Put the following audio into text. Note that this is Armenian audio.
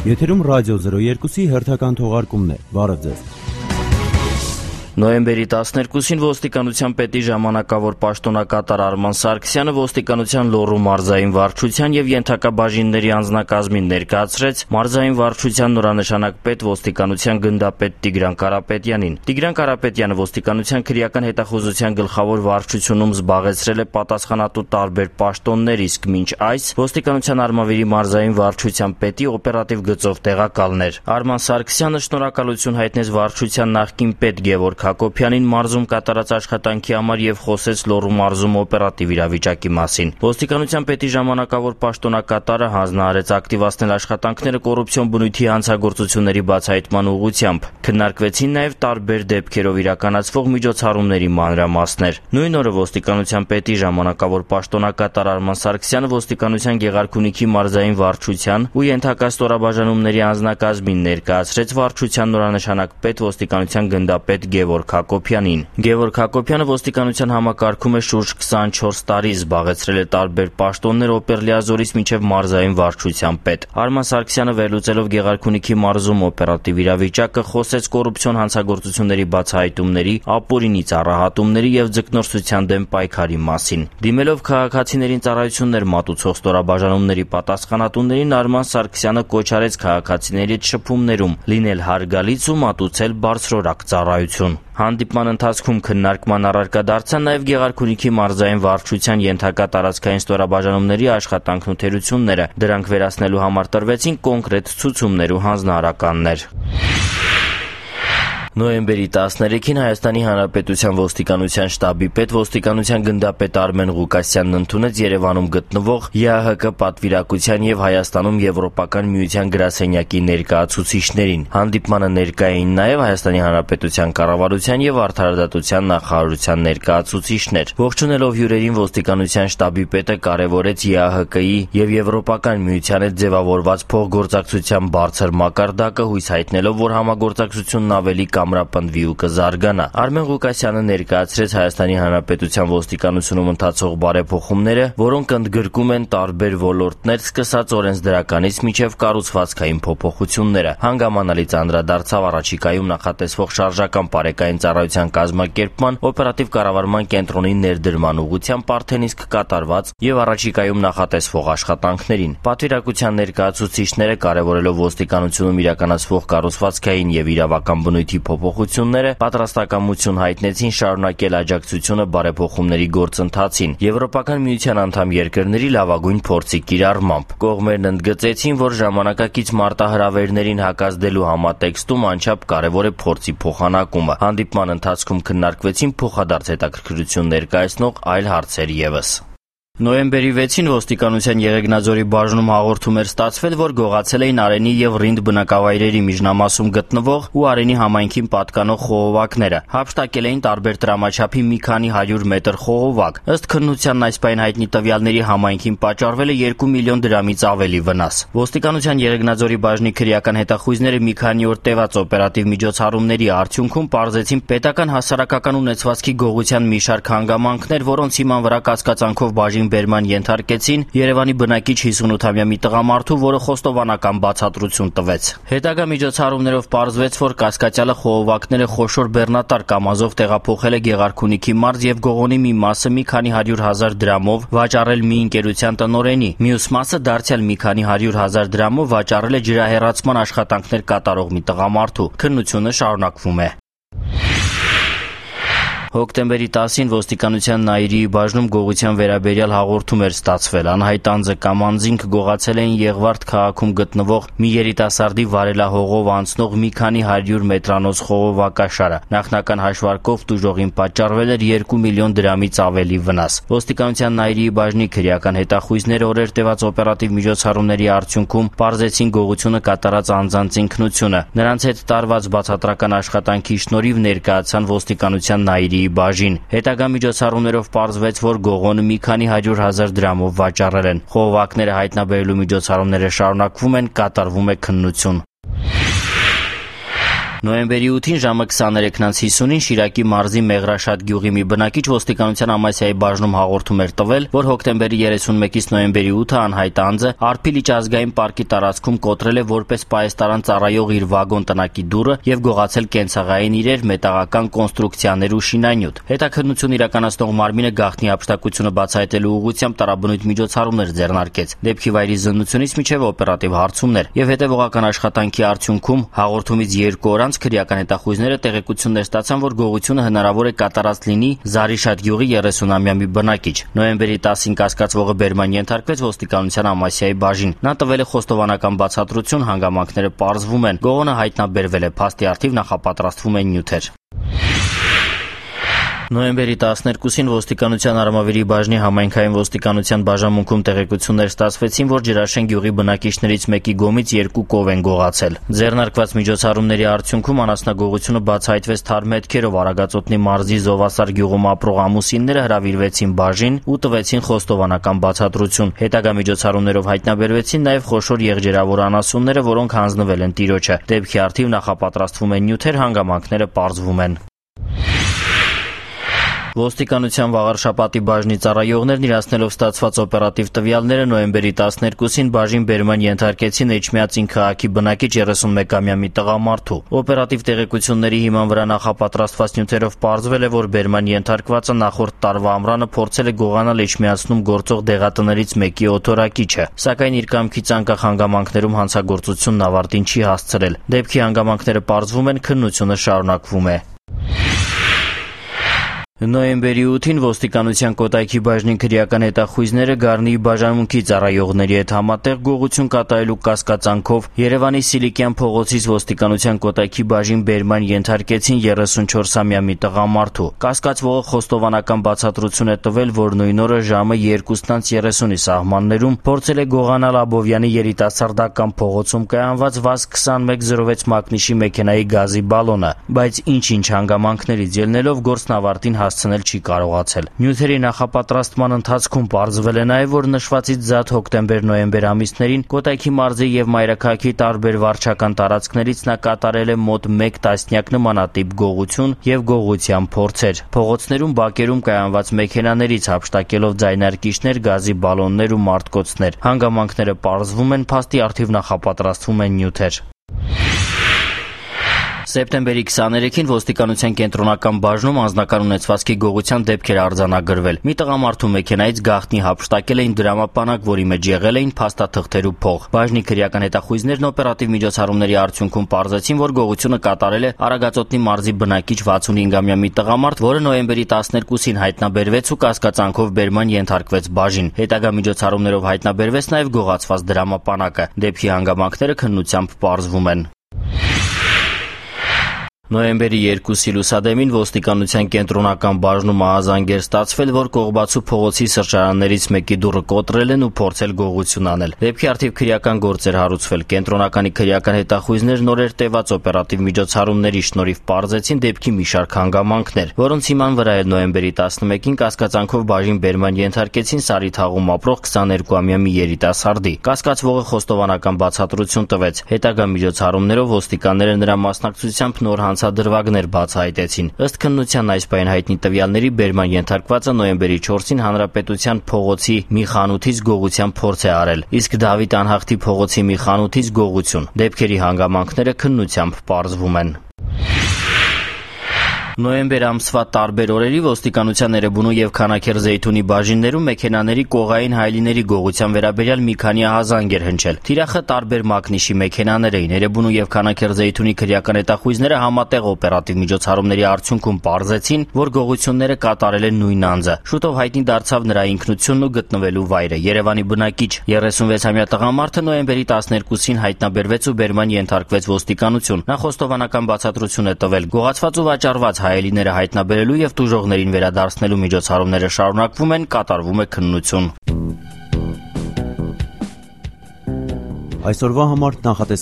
Եթերում ռադիո 02-ի հերթական թողարկումն է։ Բարև ձեզ։ Նոյեմբերի 12-ին ոստիկանության պետի ժամանակավոր պաշտոնակատար Արման Սարգսյանը ոստիկանության Լոռու մարզային վարչության եւ ենթակա բաժինների անձնակազմին ներկայացրեց մարզային վարչության նորանշանակ պետ ոստիկանության գնդապետ Տիգրան Կարապետյանին։ Տիգրան Կարապետյանը ոստիկանության քրեական հետախուզության գլխավոր վարչությունում զբաղեցրել է պատասխանատու տարբեր պաշտոններ, իսկ մինչ այս ոստիկանության Արմավիրի մարզային վարչության պետի օպերատիվ գծով տեղակալն էր։ Արման Սարգսյանը շնորհակալություն հայտնեց վարչության նախկին պետ Գևորգ Հակոբյանին մարզում կատարած աշխատանքի համար եւ խոսեց Լոռու մարզում օպերատիվ իրավիճակի մասին։ Ոստիկանության պետի ժամանակավոր պաշտոնակատարը հանձնարարեց ակտիվացնել աշխատանքները կոռուպցիոն բնույթի հանցագործությունների բացահայտման ուղղությամբ։ Քննարկվեցին նաեւ տարբեր դեպքերով իրականացվող միջոցառումների մանրամասներ։ Նույն օրը ոստիկանության պետի ժամանակավոր պաշտոնակատար Արման Սարգսյանը ոստիկանության Գեղարքունիքի մարզային վարչության ու ենթակա ստորաբաժանումների անձնակազմին ներկայացրեց վարչության նորանշանակ պետ ոստիկանության գնդապետ Գևորգ Հակոբյանին։ Գևորգ Հակոբյանը ոստիկանության համակարգում է շուրջ 24 տարի, զբաղեցրել է տարբեր պաշտոններ Օպերլիազորից մինչև մարզային վարչության պետ։ Արման Սարգսյանը վերլուծելով Գեղարքունիքի մարզում օպերատիվ իրավիճակը խոսեց կոռուպցիոն հանցագործությունների բացահայտումների, ապօրինի ծառայատումների եւ ձկնորսության դեմ պայքարի մասին։ Դիմելով քաղաքացիներին ծառայություններ մատուցող ստորաբաժանումների պատասխանատուներին Արման Սարգսյանը կոչ արեց քաղաքացիներից շփումներում լինել հարգալից ու մատուցել բարձրորակ ծառայություն։ Հանդիպման ընթացքում քննարկման առարկա դարձան նաև Գեղարքունիքի մարզային վարչության ենթակա տարածքային ստորաբաժանումների աշխատանքն ու թերությունները։ Դրանք վերացնելու համար տրվեցին կոնկրետ ցուցումներ ու հանձնարարականներ։ Նոյեմբերի 13-ին Հայաստանի Հանրապետության ոստիկանության շտաբի պետ ոստիկանության գնդապետ Արմեն Ղուկասյանն ընդունեց Երևանում գտնվող ԵԱՀԿ պատվիրակության եւ Հայաստանում Եվրոպական միության գրասենյակի ներկայացուցիչներին։ Հանդիպմանը ներկայ էին նաեւ Հայաստանի Հանրապետության կառավարության եւ արդարադատության նախարարության ներկայացուցիչներ։ Ողջունելով հյուրերին ոստիկանության շտաբի պետը կարևորեց ԵԱՀԿ-ի եւ Եվրոպական միության հետ ձևավորված փոխգործակցության բարձր մակարդակը, հույս հայտնելով, որ համագործակցությունն ավելի կամրապնդվի ու կզարգանա։ Արմեն Ղուկասյանը ներկայացրեց Հայաստանի Հանրապետության ոստիկանությունում ընթացող բարեփոխումները, որոնք ընդգրկում են տարբեր ոլորտներ, սկսած օրենսդրականից մինչև կառուցվածքային փոփոխությունները։ Հանգամանալից անդրադարձավ առաջիկայում նախատեսվող շարժական բարեկային ծառայության կազմակերպման, օպերատիվ կառավարման կենտրոնի ներդրման ուղղությամբ արդեն իսկ կատարված եւ առաջիկայում նախատեսվող աշխատանքներին։ Պատվիրակության ներկայացուցիչները կարևորելով ոստիկանությունում իրականացվող կառուցվածքային եւ իրավական բնույթի փոփոխությունները պատրաստակամություն հայտնեցին շարունակել աջակցությունը բարեփոխումների գործընթացին Եվրոպական միության անդամ երկրների լավագույն փորձի կիրառմամբ։ Կողմերն ընդգծեցին, որ ժամանակակից մարտահրավերներին հակազդելու համատեքստում անչափ կարևոր է փորձի փոխանակումը։ Հանդիպման ընթացքում քննարկվեցին փոխադարձ հետաքրքրություն ներկայացնող այլ հարցեր ևս։ Նոյեմբերի 6-ին ոստիկանության Եղեգնաձորի բաժնում հաղորդում էր ստացվել, որ գողացել էին Արենի եւ Ռինդ բնակավայրերի միջնամասում գտնվող ու Արենի համայնքին պատկանող խողովակները։ Հափշտակել էին տարբեր տրամաչափի մի քանի 100 մետր խողովակ։ Ըստ քննությանն այս պայն հայտնի տվյալների համայնքին պատճառվել է 2 միլիոն դրամից ավելի վնաս։ Ոստիկանության Եղեգնաձորի բաժնի քրեական հետախույզները մի քանի օր տևած օպերատիվ միջոցառումների արդյունքում պարզեցին պետական հասարակական ունեցվածքի գողության մի շարք հանգամանքներ, որոնց հիման վրա կասկածանքով բաժին բերման ենթարկեցին Երևանի բնակիչ 58-ամյա մի տղամարդու, որը խոստովանական բացատրություն տվեց։ Հետագա միջոցառումներով պարզվեց, որ կասկածյալը խողովակները խոշոր բեռնատար կամազով տեղափոխել է Գեղարքունիքի մարզ եւ գողոնի մի մասը մի քանի 100,000 դրամով վաճառել մի ընկերության տնօրենի, մյուս մասը դարձյալ մի քանի 100,000 դրամով վաճառել է ջրահեռացման աշխատանքներ կատարող մի տղամարդու։ Քննությունը շարունակվում է։ Հոկտեմբերի 10-ին ոստիկանության Նաիրիի բաժնում գողության վերաբերյալ հաղորդում էր ստացվել։ Անհայտ անձը կամ անձինք գողացել էին Եղվարդ քաղաքում գտնվող մի երիտասարդի վարելահողով անցնող մի քանի 100 մետրանոց խողովակաշարը։ Նախնական հաշվարկով տուժողին պատճառվել էր 2 միլիոն դրամից ավելի վնաս։ Ոստիկանության Նաիրիի բաժնի քրեական հետախույզները օրեր տևած օպերատիվ միջոցառումների արդյունքում պարզեցին գողությունը կատարած անձանց ինքնությունը։ Նրանց հետ տարված բացատրական աշխատանքի շնորհիվ ներկայացան ոստիկանության Նաիրիի բաժին։ Հետագա միջոցառումներով պարզվեց, որ գողոնը մի քանի 100,000 դրամով վաճառել են։ Խողովակները հայտնաբերելու միջոցառումները շարունակվում են, կատարվում է քննություն։ Նոյեմբերի 8-ին ժամը 23:50-ին Շիրակի մարզի Մեղրաշատ գյուղի մի բնակիչ ոստիկանության Ամասիայի բաժնում հաղորդում էր տվել, որ հոկտեմբերի 31-ից նոյեմբերի 8-ը անհայտ անձը Արփիլիճ ազգային պարկի տարածքում կոտրել է որպես պահեստարան ծառայող իր վագոն տնակի դուռը եւ գողացել կենցաղային իրեր, մետաղական կոնստրուկցիաներ ու շինանյութ։ Հետաքննություն իրականացնող մարմինը գաղտնի հափշտակությունը բացահայտելու ուղղությամբ տարաբնույթ միջոցառումներ ձեռնարկեց։ Դեպքի վայրի զննությունից մինչև օպերատիվ հարցումներ եւ հետեւողական աշխատանքի արդյունքում հաղորդումից 2 օր անց քրեական հետախույզները տեղեկություններ ստացան, որ գողությունը հնարավոր է կատարած լինի Զարիշատ գյուղի 30-ամյա մի բնակիչ։ Նոյեմբերի 10-ին կասկածվողը բերման ենթարկվեց ոստիկանության Ամասիայի բաժին։ Նա տվել է խոստովանական բացատրություն, հանգամանքները պարզվում են։ Գողոնը հայտնաբերվել է, փաստի առթիվ նախապատրաստվում են նյութեր։ Նոյեմբերի 12-ին ոստիկանության Արմավիրի բաժնի համայնքային ոստիկանության բաժանմունքում տեղեկություններ ստացվեցին, որ Ջրաշեն գյուղի բնակիչներից մեկի գոմից 2 կով են գողացել։ Ձեռնարկված միջոցառումների արդյունքում անասնագողությունը բացահայտվեց թարմ հետքերով։ Արագածոտնի մարզի Զովասար գյուղում ապրող ամուսինները հրավիրվեցին բաժին ու տվեցին խոստովանական բացատրություն։ Հետագա միջոցառումներով հայտնաբերվեցին նաև խոշոր եղջերավոր անասունները, որոնք հանձնվել են տիրոջը։ Դեպքի առթիվ նախապատրաստվում են նյութեր, հանգամանքները պարզվում են։ Ոստիկանության Վաղարշապատի բաժնի ծառայողներն իրացնելով ստացված օպերատիվ տվյալները նոյեմբերի 12-ին բաժին բերման ենթարկեցին Էջմիածին քաղաքի բնակիչ 31-ամյա մի տղամարդու։ Օպերատիվ տեղեկությունների հիման վրա նախապատրաստված նյութերով պարզվել է, որ բերման ենթարկվածը նախորդ տարվա ամռանը փորձել է գողանալ Էջմիածնում գործող դեղատներից մեկի օթորակիչը, սակայն իր կամքից անկախ հանգամանքներում հանցագործությունն ավարտին չի հասցրել։ Դեպքի հանգամանքները պարզվում են, քննությունը շարունակվում է։ Նոյեմբերի 8-ին ոստիկանության Կոտայքի բաժնի քրեական հետախույզները Գառնիի բաժանմունքի ծառայողների հետ համատեղ գողություն կատարելու կասկածանքով Երևանի Սիլիկյան փողոցից ոստիկանության Կոտայքի բաժին բերման ենթարկեցին 34-ամյա մի տղամարդու։ Կասկածվողը խոստովանական բացատրություն է տվել, որ նույն օրը ժամը 2:30-ի սահմաններում փորձել է գողանալ Աբովյանի երիտասարդական փողոցում կայանված ՎԱԶ-2106 մակնիշի մեքենայի գազի բալոնը, բայց ինչ-ինչ հանգամանքներից ելնելով գործն ավարտին հասցնել չի կարողացել։ Նյութերի նախապատրաստման ընթացքում պարզվել է նաև, որ նշվածից զատ հոկտեմբեր-նոյեմբեր ամիսներին Կոտայքի մարզի եւ Մայրաքաղաքի տարբեր վարչական տարածքներից նա կատարել է մոտ 1 տասնյակ նմանատիպ գողություն եւ գողության փորձեր։ Փողոցներում, բակերում կայանված մեքենաներից հափշտակելով ձայնարկիչներ, գազի բալոններ ու մարտկոցներ։ Հանգամանքները պարզվում են, փաստի առթիվ նախապատրաստվում են նյութեր։ Սեպտեմբերի 23-ին ոստիկանության կենտրոնական բաժնում անձնական ունեցվածքի գողության դեպքեր արձանագրվել։ Մի տղամարդու մեքենայից գաղտնի հափշտակել էին դրամապանակ, որի մեջ եղել էին փաստաթղթեր ու փող։ Բաժնի քրեական հետախույզներն օպերատիվ միջոցառումների արդյունքում պարզեցին, որ գողությունը կատարել է Արագածոտնի մարզի բնակիչ 65-ամյա մի տղամարդ, որը նոյեմբերի 12-ին հայտնաբերվեց ու կասկածանքով բերման ենթարկվեց բաժին։ Հետագա միջոցառումներով հայտնաբերվեց նաև գողացված դրամապանակը։ Դեպքի հանգամանքները քննությամբ պարզվում են։ Նոյեմբերի 2-ի լուսադեմին ոստիկանության կենտրոնական բաժնում ահազանգեր ստացվել, որ Կողբացու փողոցի սրճարաններից մեկի դուռը կոտրել են ու փորձել գողություն անել։ Դեպքի առթիվ քրեական գործ էր հարուցվել։ Կենտրոնականի քրեական հետախույզներ նորեր տևած օպերատիվ միջոցառումների շնորհիվ պարզեցին դեպքի մի շարք հանգամանքներ, որոնց հիման վրա էլ նոյեմբերի 11-ին կասկածանքով բաժին բերման ենթարկեցին Սարիթաղում ապրող 22-ամյա մի երիտասարդի։ Կասկածվողը խոստովանական բացատրություն տվեց։ Հետագա միջոցառումներով ոստիկանները նրա մասնակցությամբ նոր հանցադրվագներ բացահայտեցին։ Ըստ քննության այս պահին հայտնի տվյալների բերման ենթարկվածը նոյեմբերի 4-ին Հանրապետության փողոցի մի խանութից գողության փորձ է արել, իսկ Դավիթ Անհախտի փողոցի մի խանութից գողություն։ Դեպքերի հանգամանքները քննությամբ պարզվում են։ Նոյեմբեր ամսվա տարբեր օրերի ոստիկանության Էրեբունու եւ Քանաքեռ-Զեյթունի բաժիններում մեքենաների կողային հայլիների գողության վերաբերյալ մի քանի ահազանգ էր հնչել։ Թիրախը տարբեր մակնիշի մեքենաներ էին։ Էրեբունու եւ Քանաքեռ-Զեյթունի քրեական հետախույզները համատեղ օպերատիվ միջոցառումների արդյունքում պարզեցին, որ գողությունները կատարել է նույն անձը։ Շուտով հայտնի դարձավ նրա ինքնությունն ու գտնվելու վայրը։ Երևանի բնակիչ 36-ամյա տղամարդը նոյեմբերի 12-ին հայտնաբերվեց ու բերման ենթարկվեց ոստիկանություն։ Նա խոստովանական բացատրություն է տվել։ Գողացված ու վաճառված հայելիները հայտնաբերելու եւ տուժողներին վերադարձնելու միջոցառումները շարունակվում են, կատարվում է քննություն։ Այսօրվա համար նախատեսել